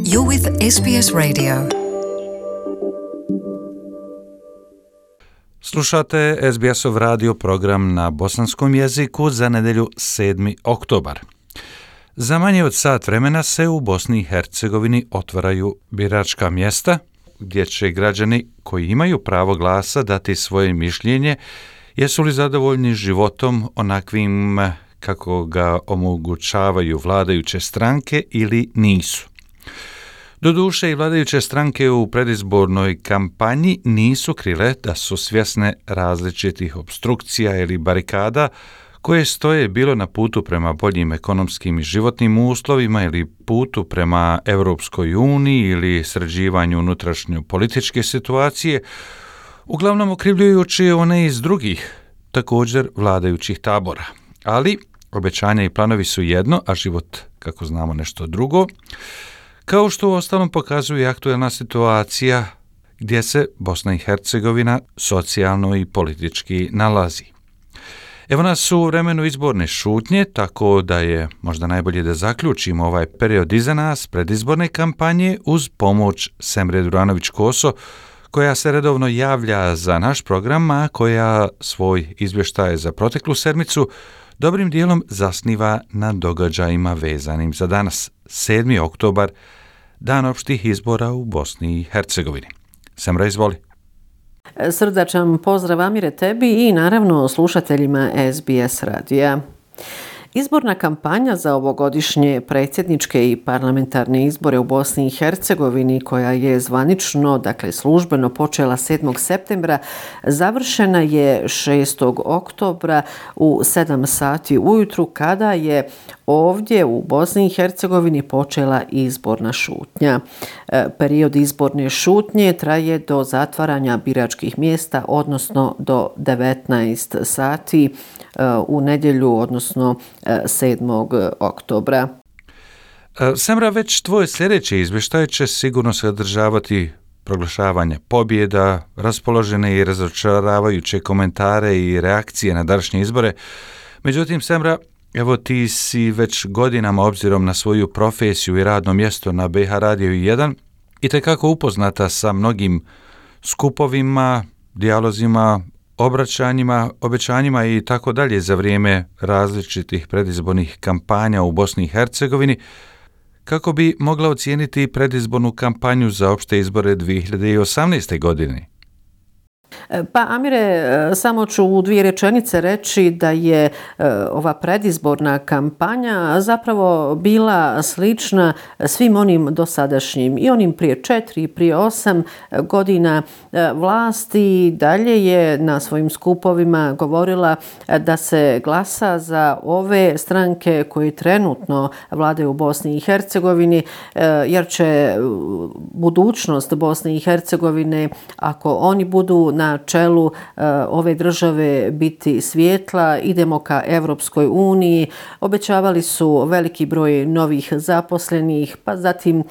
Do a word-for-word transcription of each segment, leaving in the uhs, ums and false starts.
You're with S B S Radio. Slušate S B S-ov radio program na bosanskom jeziku za nedjelju sedmi oktobar. Za manje od sat vremena se u Bosni i Hercegovini otvaraju biračka mjesta, gdje će građani koji imaju pravo glasa dati svoje mišljenje, jesu li zadovoljni životom onakvim kako ga omogućavaju vladajuće stranke ili nisu. Doduše, i vladajuće stranke u predizbornoj kampanji nisu krile da su svjesne različitih opstrukcija ili barikada koje stoje bilo na putu prema boljim ekonomskim i životnim uslovima ili putu prema Europskoj uniji ili sređivanju unutrašnje političke situacije, uglavnom okrivljujući one iz drugih, također vladajućih tabora. Ali obećanja i planovi su jedno, a život, kako znamo, nešto drugo, kao što uostalom pokazuje aktuelna situacija gdje se Bosna i Hercegovina socijalno i politički nalazi. Evo nas u vremenu izborne šutnje, tako da je možda najbolje da zaključimo ovaj period iza nas predizborne kampanje uz pomoć Semre Duranović-Koso, koja se redovno javlja za naš program, a koja svoj izvještaj za proteklu sedmicu dobrim dijelom zasniva na događajima vezanim za danas, sedmi oktobar, dan opštih izbora u Bosni i Hercegovini. Semra, izvoli. Srdačan pozdrav, Amire, tebi i naravno slušateljima S B S radija. Izborna kampanja za ovogodišnje predsjedničke i parlamentarne izbore u Bosni i Hercegovini, koja je zvanično, dakle službeno počela sedmog septembra, završena je šestog oktobra u sedam sati ujutru, kada je ovdje u Bosni i Hercegovini počela izborna šutnja. Period izborne šutnje traje do zatvaranja biračkih mjesta, odnosno do devetnaest sati u nedjelju, odnosno sedmog oktobra. Semra, već tvoj sljedeći izvještaj će sigurno sadržavati proglašavanje pobjeda, raspoložene i razočaravajuće komentare i reakcije na današnje izbore. Međutim, Semra, evo ti si već godinama, obzirom na svoju profesiju i radno mjesto na B H Radiju jedan, itekako upoznata sa mnogim skupovima, dijalozima, obraćanjima, obećanjima i tako dalje za vrijeme različitih predizbornih kampanja u Bosni i Hercegovini. Kako bi mogla ocijeniti predizbornu kampanju za opšte izbore dvije hiljade osamnaeste. godine? Pa, Amire, samo ću u dvije rečenice reći da je ova predizborna kampanja zapravo bila slična svim onim dosadašnjim i onim prije četiri i prije osam godina. Vlasti dalje je na svojim skupovima govorila da se glasa za ove stranke koje trenutno vladaju u Bosni i Hercegovini, jer će budućnost Bosne i Hercegovine, ako oni budu na čelu uh, ove države, biti svjetla, idemo ka Europskoj uniji. Obećavali su veliki broj novih zaposlenih, pa zatim uh,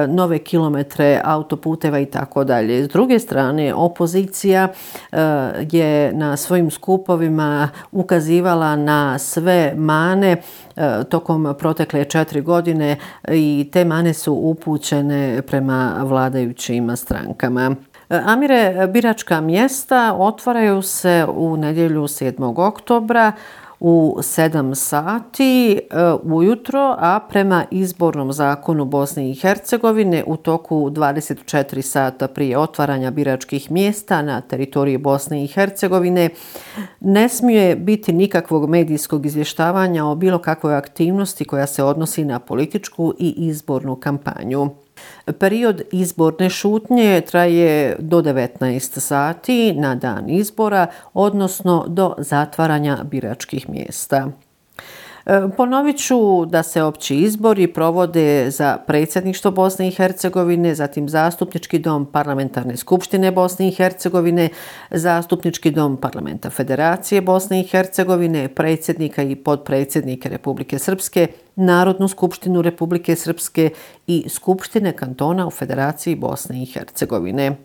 nove kilometre autoputeva i tako dalje. S druge strane, opozicija uh, je na svojim skupovima ukazivala na sve mane uh, tokom protekle četiri godine i te mane su upućene prema vladajućim strankama. Amire, biračka mjesta otvaraju se u nedjelju sedmog oktobra u sedam sati ujutro, a prema izbornom zakonu Bosne i Hercegovine u toku dvadeset četiri sata prije otvaranja biračkih mjesta na teritoriji Bosne i Hercegovine ne smije biti nikakvog medijskog izvještavanja o bilo kakvoj aktivnosti koja se odnosi na političku i izbornu kampanju. Period izborne šutnje traje do devetnaest sati na dan izbora, odnosno do zatvaranja biračkih mjesta. Ponovit ću da se opći izbori provode za predsjedništvo Bosne i Hercegovine, zatim zastupnički dom Parlamentarne skupštine Bosne i Hercegovine, zastupnički dom Parlamenta Federacije Bosne i Hercegovine, predsjednika i potpredsjednike Republike Srpske, Narodnu skupštinu Republike Srpske i Skupštine kantona u Federaciji Bosne i Hercegovine.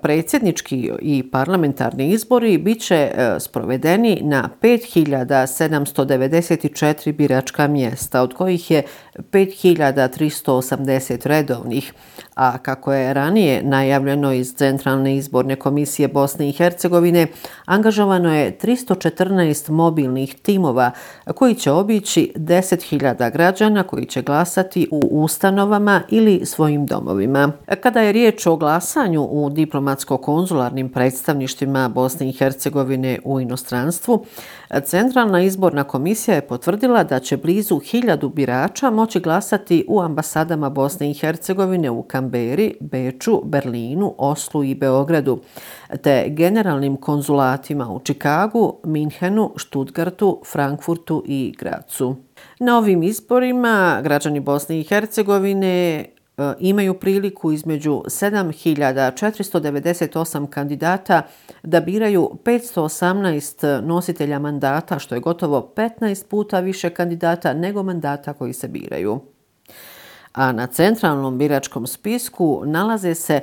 Predsjednički i parlamentarni izbori bit će sprovedeni na pet hiljada sedamsto devedeset četiri biračka mjesta, od kojih je pet hiljada tristo osamdeset redovnih, a kako je ranije najavljeno iz Centralne izborne komisije Bosne i Hercegovine, angažovano je tristo četrnaest mobilnih timova koji će obići deset hiljada građana koji će glasati u ustanovama ili svojim domovima. Kada je riječ o glasanju u diplomatsko-konzularnim predstavništvima Bosne i Hercegovine u inostranstvu, Centralna izborna komisija je potvrdila da će blizu hiljadu birača moći glasati u ambasadama Bosne i Hercegovine u Kamberi, Beču, Berlinu, Oslu i Beogradu, te generalnim konzulatima u Čikagu, Minhenu, Stuttgartu, Frankfurtu i Gracu. Na ovim izborima građani Bosne i Hercegovine imaju priliku između sedam hiljada četiristo devedeset osam kandidata da biraju petsto osamnaest nositelja mandata, što je gotovo petnaest puta više kandidata nego mandata koji se biraju. A na centralnom biračkom spisku nalaze se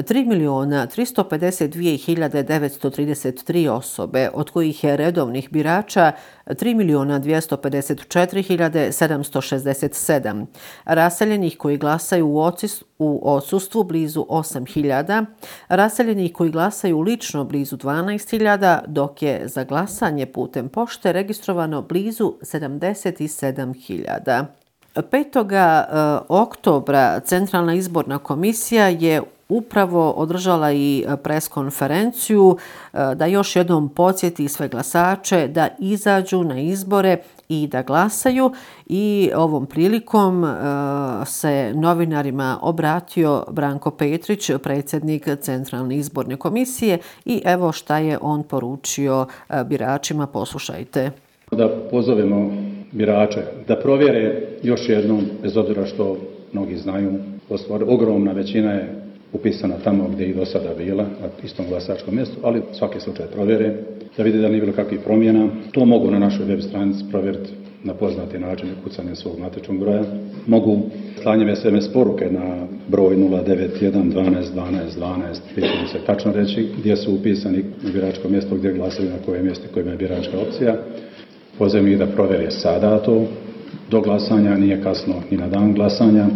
tri milijuna tristo pedeset dvije hiljade devetsto trideset tri osobe, od kojih je redovnih birača tri milijuna dvjesto pedeset četiri hiljade sedamsto šezdeset sedam, raseljenih koji glasaju u odsustvu blizu osam hiljada, raseljenih koji glasaju lično blizu dvanaest hiljada, dok je za glasanje putem pošte registrovano blizu sedamdeset sedam hiljada. petog oktobra Centralna izborna komisija je upravo održala i preskonferenciju da još jednom podsjeti sve glasače da izađu na izbore i da glasaju, i ovom prilikom se novinarima obratio Branko Petrić, predsjednik Centralne izborne komisije, i evo šta je on poručio biračima. Poslušajte. Da pozovemo birače da provjere još jednom, bez obzira što mnogi znaju, ogromna većina je upisana tamo gdje je i do sada bila, na istom glasačkom mjestu, ali svaki slučaj provjere, da vide da nije bilo kakvih promjena. To mogu na našoj web stranici provjeriti na poznati način, kucanjem svog matičnog broja. Mogu slanjem es em es poruke na broj nula devet jedan dvanaest dvanaest dvanaest, gdje će se tačno reći gdje su upisani u biračko mjesto, gdje glasaju, na koje mjesto kojima je biračka opcija. Pozivam ih da provjere sada to, do glasanja, nije kasno ni na dan glasanja.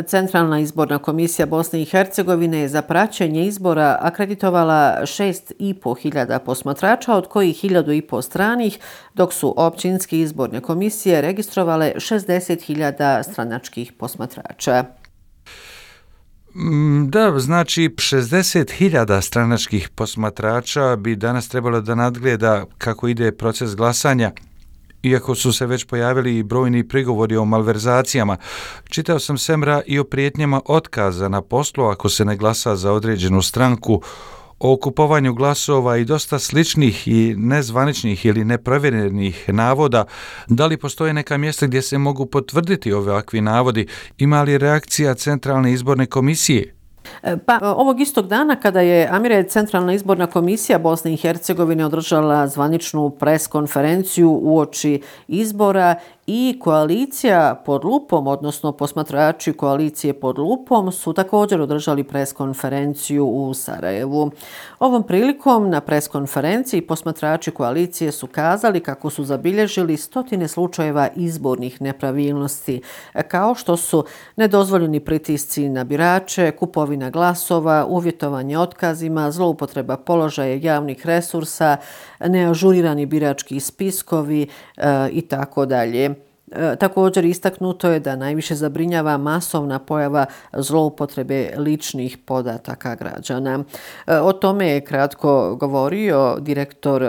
Centralna izborna komisija Bosne i Hercegovine je za praćenje izbora akreditovala šest i po hiljada posmatrača, od kojih hiljadu i po stranih, dok su općinske izborne komisije registrovale šezdeset hiljada stranačkih posmatrača. Da, znači šezdeset hiljada stranačkih posmatrača bi danas trebalo da nadgleda kako ide proces glasanja, iako su se već pojavili i brojni prigovori o malverzacijama. Čitao sam semra i o prijetnjama otkaza na poslu ako se ne glasa za određenu stranku, o kupovanju glasova i dosta sličnih i nezvaničnih ili neprovjerenih navoda. Da li postoje neka mjesta gdje se mogu potvrditi ovakvi navodi? Ima li reakcija Centralne izborne komisije? Pa ovog istog dana kada je Amire Centralna izborna komisija Bosne i Hercegovine održala zvaničnu preskonferenciju uoči izbora, i koalicija pod lupom, odnosno posmatrači koalicije pod lupom, su također održali preskonferenciju u Sarajevu. Ovom prilikom na preskonferenciji posmatrači koalicije su kazali kako su zabilježili stotine slučajeva izbornih nepravilnosti, kao što su nedozvoljeni pritisci na birače, kupovina glasova, uvjetovanje otkazima, zloupotreba položaja javnih resursa, neažurirani birački spiskovi e, i tako dalje. Također istaknuto je da najviše zabrinjava masovna pojava zloupotrebe ličnih podataka građana. O tome je kratko govorio direktor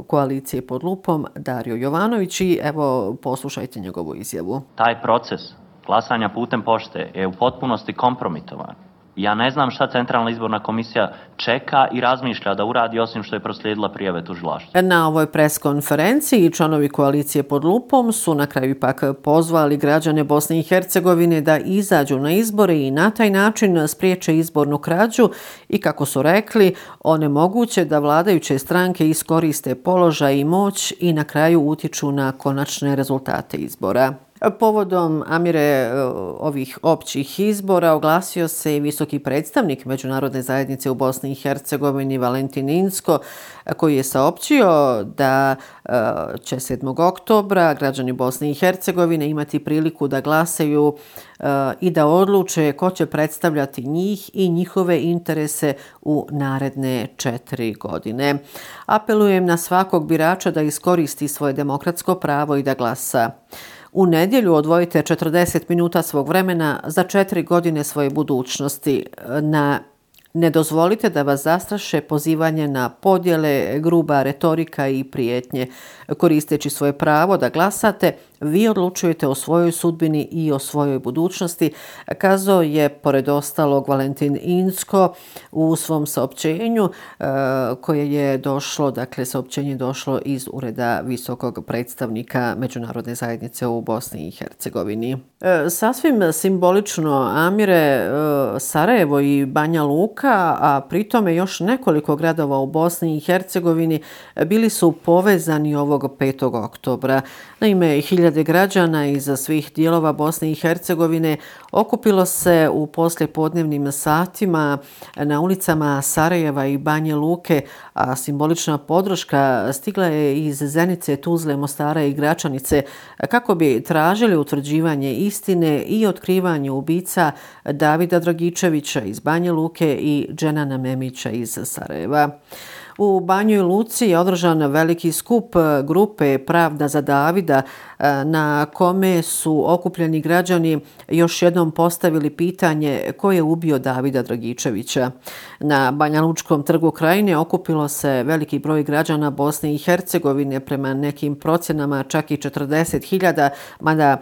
koalicije pod lupom Dario Jovanović, i evo poslušajte njegovu izjavu. Taj proces glasanja putem pošte je u potpunosti kompromitovan. Ja ne znam šta Centralna izborna komisija čeka i razmišlja da uradi osim što je proslijedila prijave tužilaštvu. Na ovoj preskonferenciji članovi koalicije pod lupom su na kraju ipak pozvali građane Bosne i Hercegovine da izađu na izbore i na taj način spriječe izbornu krađu i, kako su rekli, onemoguće da vladajuće stranke iskoriste položaj i moć i na kraju utječu na konačne rezultate izbora. Povodom, Amire, ovih općih izbora oglasio se i visoki predstavnik Međunarodne zajednice u Bosni i Hercegovini Valentin Inzko, koji je saopćio da će sedmog oktobra građani Bosne i Hercegovine imati priliku da glasaju i da odluče ko će predstavljati njih i njihove interese u naredne četiri godine. Apelujem na svakog birača da iskoristi svoje demokratsko pravo i da glasa. U nedjelju odvojite četrdeset minuta svog vremena za četiri godine svoje budućnosti. Na Ne dozvolite da vas zastraše pozivanje na podjele, gruba retorika i prijetnje. Koristeći svoje pravo da glasate, vi odlučujete o svojoj sudbini i o svojoj budućnosti, kazao je pored ostalog Valentin Inzko u svom saopćenju koje je došlo, dakle saopćenje došlo iz ureda visokog predstavnika Međunarodne zajednice u Bosni i Hercegovini. Sasvim simbolično, Amire, Sarajevo i Banja Luka, a pritome još nekoliko gradova u Bosni i Hercegovini bili su povezani ovog petog oktobra. Naime, hiljade građana iz svih dijelova Bosne i Hercegovine okupilo se u poslijepodnevnim satima na ulicama Sarajeva i Banje Luke, a simbolična podrška stigla je iz Zenice, Tuzle, Mostara i Gračanice kako bi tražili utvrđivanje istine i otkrivanje ubica Davida Dragičevića iz Banje Luke i Dženana Memića iz Sarajeva. U Banjoj Luci je održan veliki skup grupe Pravda za Davida na kome su okupljeni građani još jednom postavili pitanje ko je ubio Davida Dragičevića. Na Banja Lučkom trgu Krajine okupilo se veliki broj građana Bosne i Hercegovine, prema nekim procjenama čak i četrdeset hiljada, mada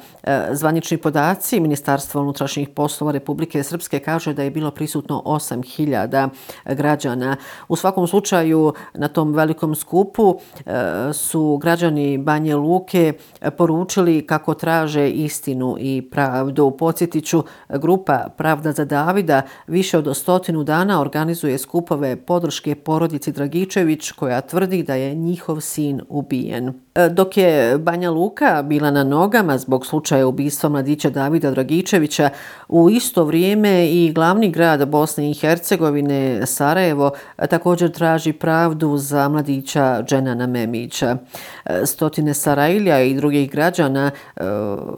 zvanični podaci Ministarstva unutrašnjih poslova Republike Srpske kaže da je bilo prisutno osam hiljada građana. U svakom slučaju na tom velikom skupu su građani Banje Luke poručili kako traže istinu i pravdu. Podsjetiću, grupa Pravda za Davida više od stotinu dana organizuje skupove podrške porodici Dragičević koja tvrdi da je njihov sin ubijen. Dok je Banja Luka bila na nogama zbog slučaja ubistva mladića Davida Dragičevića, u isto vrijeme i glavni grad Bosne i Hercegovine, Sarajevo, također traži pravdu za mladića Dženana Memića. Stotine Sarajlija i drugih građana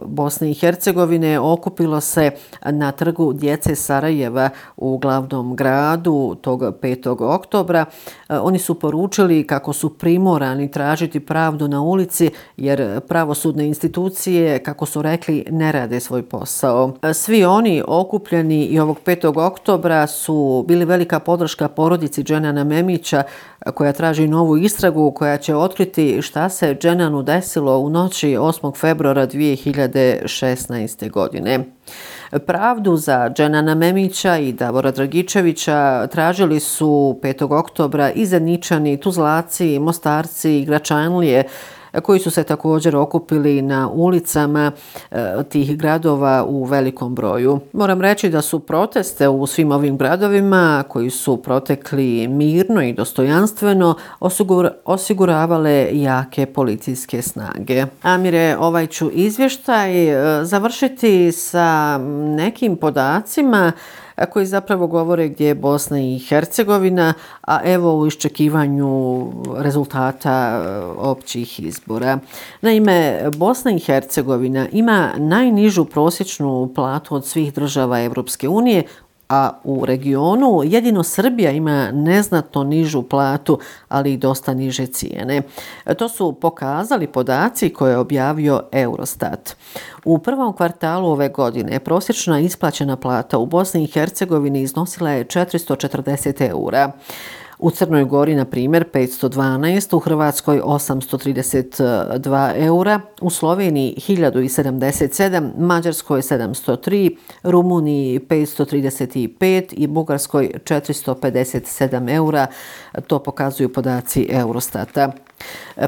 Bosne i Hercegovine okupilo se na trgu djece Sarajeva u glavnom gradu tog petog oktobra. Oni su poručili kako su primorani tražiti pravdu na ulici jer pravosudne institucije, kako su rekli, ne rade svoj posao. Svi oni okupljeni i ovog petog oktobra su bili velika podrška porodici Dženana Memića koja traži novu istragu koja će otkriti šta se Dženanu desilo u noći osmog februara dvije hiljade šesnaeste. godine. Pravdu za Dženana Memića i Davora Dragičevića tražili su petog oktobra i Zeničani, Tuzlaci, Mostarci i Gračanlije, koji su se također okupili na ulicama e, tih gradova u velikom broju. Moram reći da su proteste u svim ovim gradovima, koji su protekli mirno i dostojanstveno, osigur, osiguravale jake policijske snage. Amire, ovaj ću izvještaj e, završiti sa nekim podacima koji zapravo govore gdje je Bosna i Hercegovina, a evo u iščekivanju rezultata općih izbora. Naime, Bosna i Hercegovina ima najnižu prosječnu platu od svih država Evropske unije, a u regionu jedino Srbija ima neznatno nižu platu, ali i dosta niže cijene. To su pokazali podaci koje je objavio Eurostat. U prvom kvartalu ove godine prosječna isplaćena plata u Bosni i Hercegovini iznosila je četiristo četrdeset eura. U Crnoj Gori, na primjer, petsto dvanaest, u Hrvatskoj osamsto trideset dva eura, u Sloveniji hiljadu sedamdeset sedam, Mađarskoj sedamsto tri, Rumuniji petsto trideset pet i Bugarskoj četiristo pedeset sedam eura. To pokazuju podaci Eurostata.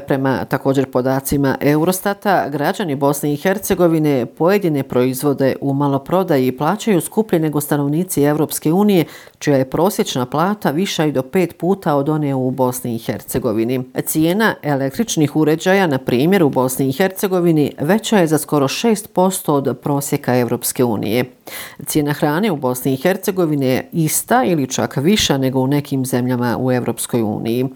Prema također podacima Eurostata, građani Bosne i Hercegovine pojedine proizvode u maloprodaji plaćaju skuplje nego stanovnici Evropske unije, čija je prosječna plata viša i do pet puta od one u Bosni i Hercegovini. Cijena električnih uređaja, na primjer u Bosni i Hercegovini, veća je za skoro šest posto od prosjeka Europske unije. Cijena hrane u Bosni i Hercegovini je ista ili čak viša nego u nekim zemljama u Europskoj uniji.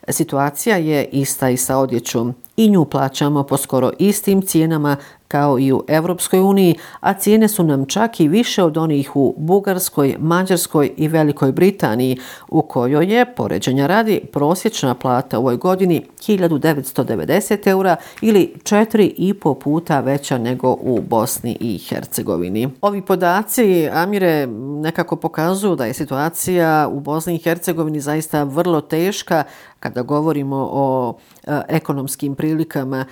Situacija je ista i sa odjećom. I nju plaćamo po skoro istim cijenama kao i u Europskoj uniji, a cijene su nam čak i više od onih u Bugarskoj, Mađarskoj i Velikoj Britaniji, u kojoj je, poređenja radi, prosječna plata u ovoj godini hiljadu devetsto devedeset eura ili četiri i po puta veća nego u Bosni i Hercegovini. Ovi podaci, Amire, nekako pokazuju da je situacija u Bosni i Hercegovini zaista vrlo teška kada govorimo o e, ekonomskim prilikama,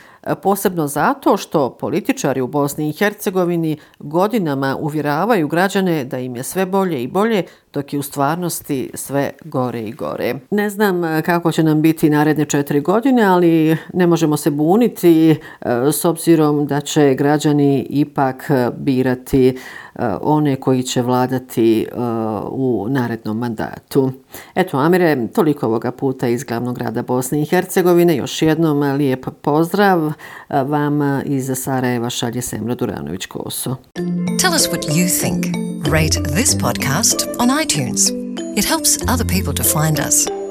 posebno zato što političari u Bosni i Hercegovini godinama uvjeravaju građane da im je sve bolje i bolje, dok je u stvarnosti sve gore i gore. Ne znam kako će nam biti naredne četiri godine, ali ne možemo se buniti s obzirom da će građani ipak birati one koji će vladati u narednom mandatu. Eto, Amire, toliko ovoga puta iz glavnog grada Bosne i Hercegovine. Još jednom lijep pozdrav vam iz Sarajeva šalje Semra Duranović-Koso. Tell us what you think. Rate this podcast on iTunes. It helps other people to find us.